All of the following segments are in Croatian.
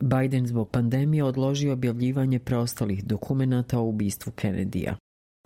Biden zbog pandemije odložio objavljivanje preostalih dokumenata o ubistvu Kennedyja.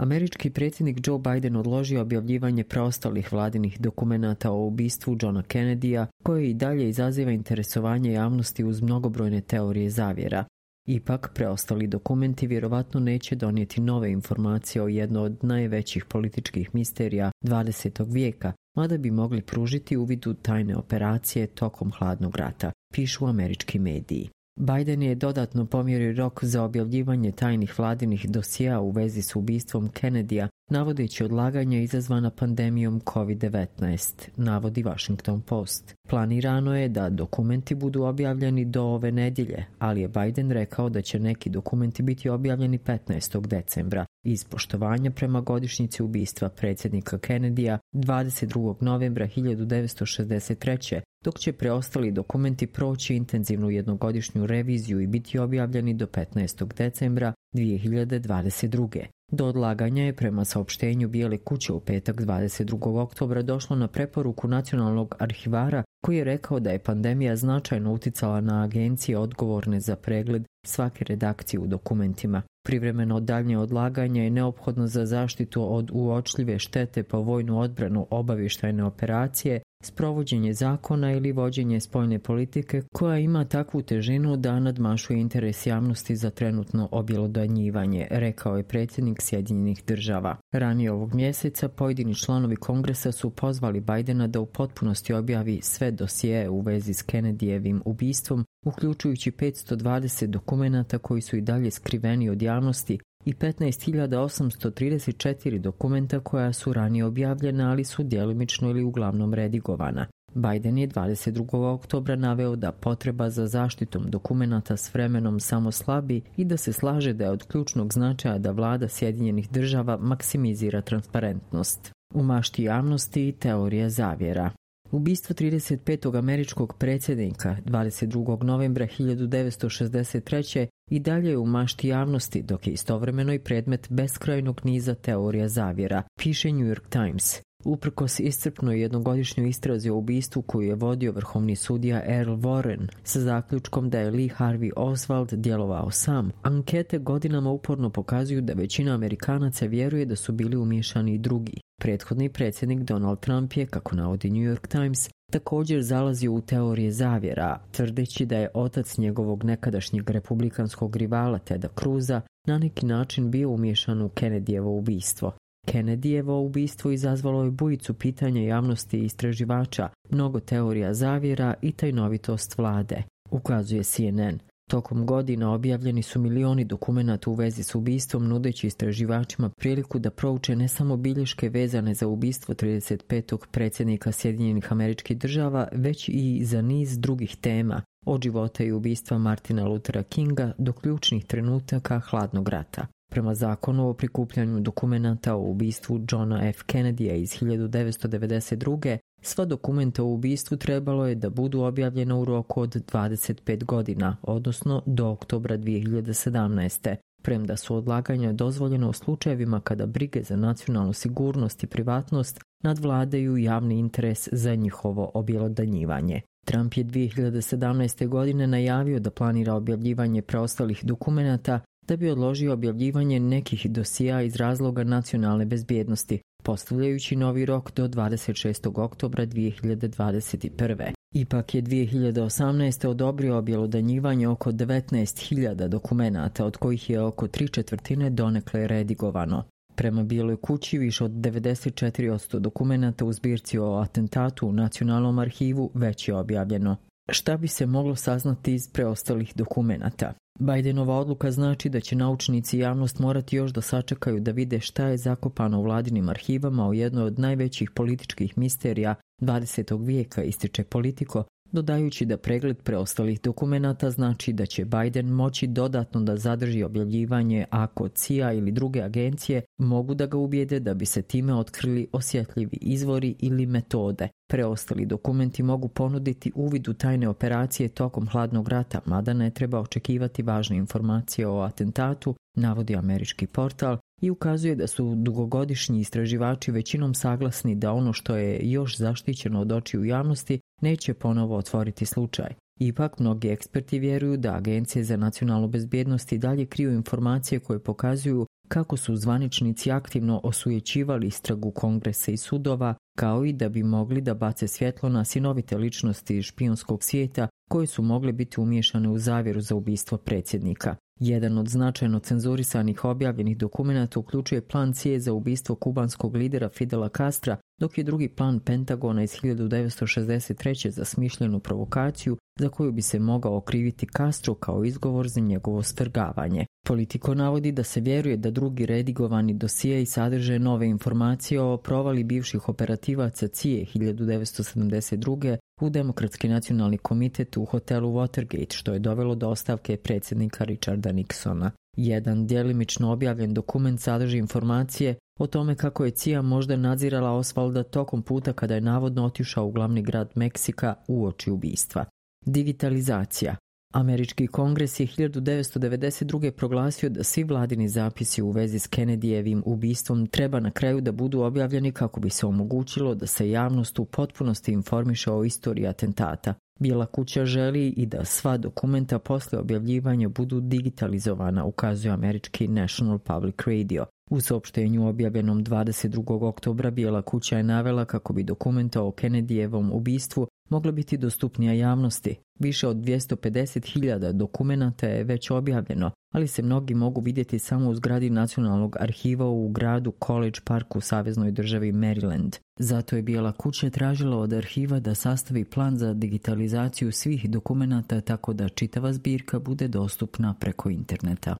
Američki predsjednik Joe Biden odložio objavljivanje preostalih vladinih dokumenata o ubistvu Johna Kennedyja, koje i dalje izaziva interesovanje javnosti uz mnogobrojne teorije zavjera. Ipak, preostali dokumenti vjerovatno neće donijeti nove informacije o jednoj od najvećih političkih misterija 20. vijeka, mada bi mogli pružiti uvid u tajne operacije tokom hladnog rata, pišu američki mediji. Biden je dodatno pomjerio rok za objavljivanje tajnih vladinih dosjea u vezi s ubistvom Kennedyja, navodeći odlaganja izazvana pandemijom COVID-19, navodi Washington Post. Planirano je da dokumenti budu objavljeni do ove nedjelje, ali je Biden rekao da će neki dokumenti biti objavljeni 15. decembra, iz poštovanja prema godišnjici ubistva predsjednika Kennedyja 22. novembra 1963. dok će preostali dokumenti proći intenzivnu jednogodišnju reviziju i biti objavljeni do 15. decembra 2022. Do odlaganja je prema saopštenju Bijele kuće u petak 22. oktobra došlo na preporuku nacionalnog arhivara koji je rekao da je pandemija značajno uticala na agencije odgovorne za pregled svake redakcije u dokumentima. Privremeno daljnje odlaganje je neophodno za zaštitu od uočljive štete po vojnu odbranu, obavještajne operacije, sprovođenje zakona ili vođenje spoljne politike koja ima takvu težinu da nadmašuje interes javnosti za trenutno objelodanjivanje, rekao je predsjednik Sjedinjenih Država. Ranije ovog mjeseca pojedini članovi Kongresa su pozvali Bidena da u potpunosti objavi sve dosjee u vezi s Kennedyjevim ubistvom, uključujući 520 dokumenata koji su i dalje skriveni od javnosti i 15.834 dokumenta koja su ranije objavljena, ali su djelomično ili uglavnom redigovana. Biden je 22. oktobra naveo da potreba za zaštitom dokumenata s vremenom samo slabi i da se slaže da je od ključnog značaja da vlada Sjedinjenih Država maksimizira transparentnost. U mašti javnosti i teorija zavjera. Ubistvo 35. američkog predsjednika 22. novembra 1963. i dalje je u mašti javnosti, dok je istovremeno i predmet beskrajnog niza teorija zavjera, piše New York Times. Uprkos iscrpnoj jednogodišnjoj istrazi o ubistvu koju je vodio vrhovni sudija Earl Warren sa zaključkom da je Lee Harvey Oswald djelovao sam, ankete godinama uporno pokazuju da većina Amerikanaca vjeruje da su bili umiješani i drugi. Prethodni predsjednik Donald Trump je, kako navodi New York Times, također zalazio u teorije zavjera, tvrdeći da je otac njegovog nekadašnjeg republikanskog rivala Teda Cruza na neki način bio umiješan u Kennedyjevo ubistvo. Kennedyjevo ubistvo izazvalo je bujicu pitanja javnosti i istraživača, mnogo teorija zavjera i tajnovitost vlade, ukazuje CNN. Tokom godina objavljeni su milioni dokumenata u vezi s ubistvom, nudeći istraživačima priliku da prouče ne samo bilješke vezane za ubistvo 35. predsjednika Sjedinjenih Američkih Država, već i za niz drugih tema, od života i ubistva Martina Luthera Kinga do ključnih trenutaka hladnog rata. Prema zakonu o prikupljanju dokumenata o ubistvu Johna F. Kennedyja iz 1992. sva dokumenta o ubistvu trebalo je da budu objavljena u roku od 25 godina, odnosno do oktobra 2017. Premda su odlaganja dozvoljena u slučajevima kada brige za nacionalnu sigurnost i privatnost nadvladaju javni interes za njihovo objelodanjivanje. Trump je 2017. godine najavio da planira objavljivanje preostalih dokumenata da bi odložio objavljivanje nekih dosjea iz razloga nacionalne bezbjednosti, postavljajući novi rok do 26. oktobra 2021. Ipak je 2018. odobrio objelodanjivanje oko 19.000 dokumenata, od kojih je oko 3/4 donekle redigovano. Prema Bijeloj kući, više od 94% dokumenata u zbirci o atentatu u Nacionalnom arhivu već je objavljeno. Šta bi se moglo saznati iz preostalih dokumenata? Bidenova odluka znači da će naučnici i javnost morati još da sačekaju da vide šta je zakopano u vladinim arhivama o jednoj od najvećih političkih misterija 20. vijeka, ističe Politico, dodajući da pregled preostalih dokumenata znači da će Biden moći dodatno da zadrži objavljivanje ako CIA ili druge agencije mogu da ga ubijede da bi se time otkrili osjetljivi izvori ili metode. Preostali dokumenti mogu ponuditi uvid u tajne operacije tokom hladnog rata, mada ne treba očekivati važne informacije o atentatu, navodi američki portal, i ukazuje da su dugogodišnji istraživači većinom saglasni da ono što je još zaštićeno od očiju javnosti neće ponovo otvoriti slučaj. Ipak, mnogi eksperti vjeruju da agencije za nacionalnu bezbjednost i dalje kriju informacije koje pokazuju kako su zvaničnici aktivno osujećivali istragu kongresa i sudova, kao i da bi mogli da bace svjetlo na sinovite ličnosti iz špijunskog svijeta koje su mogle biti umiješane u zavjeru za ubistvo predsjednika. Jedan od značajno cenzurisanih objavljenih dokumenata uključuje plan CIA za ubistvo kubanskog lidera Fidela Castra, dok je drugi plan Pentagona iz 1963. za smišljenu provokaciju za koju bi se mogao okriviti Castro kao izgovor za njegovo svrgavanje. Politico navodi da se vjeruje da drugi redigovani dosije sadrže nove informacije o provali bivših operativaca CIA 1972. u Demokratski nacionalni komitet u hotelu Watergate, što je dovelo do ostavke predsjednika Richarda Nixona. Jedan djelimično objavljen dokument sadrži informacije o tome kako je CIA možda nadzirala Osvalda tokom puta kada je navodno otišao u glavni grad Meksika uoči ubistva. Digitalizacija. Američki kongres je 1992. proglasio da svi vladini zapisi u vezi s Kennedyjevim ubistvom treba na kraju da budu objavljeni kako bi se omogućilo da se javnost u potpunosti informiše o istoriji atentata. Bijela kuća želi i da sva dokumenta posle objavljivanja budu digitalizovana, ukazuje američki National Public Radio. U saopštenju objavljenom 22. oktobra Bijela kuća je navela kako bi dokumenta o Kennedyjevom ubistvu mogla biti dostupnija javnosti. Više od 250.000 dokumenata je već objavljeno, ali se mnogi mogu vidjeti samo u zgradi Nacionalnog arhiva u gradu College Park u saveznoj državi Maryland. Zato je Bijela kuća tražila od arhiva da sastavi plan za digitalizaciju svih dokumenata tako da čitava zbirka bude dostupna preko interneta.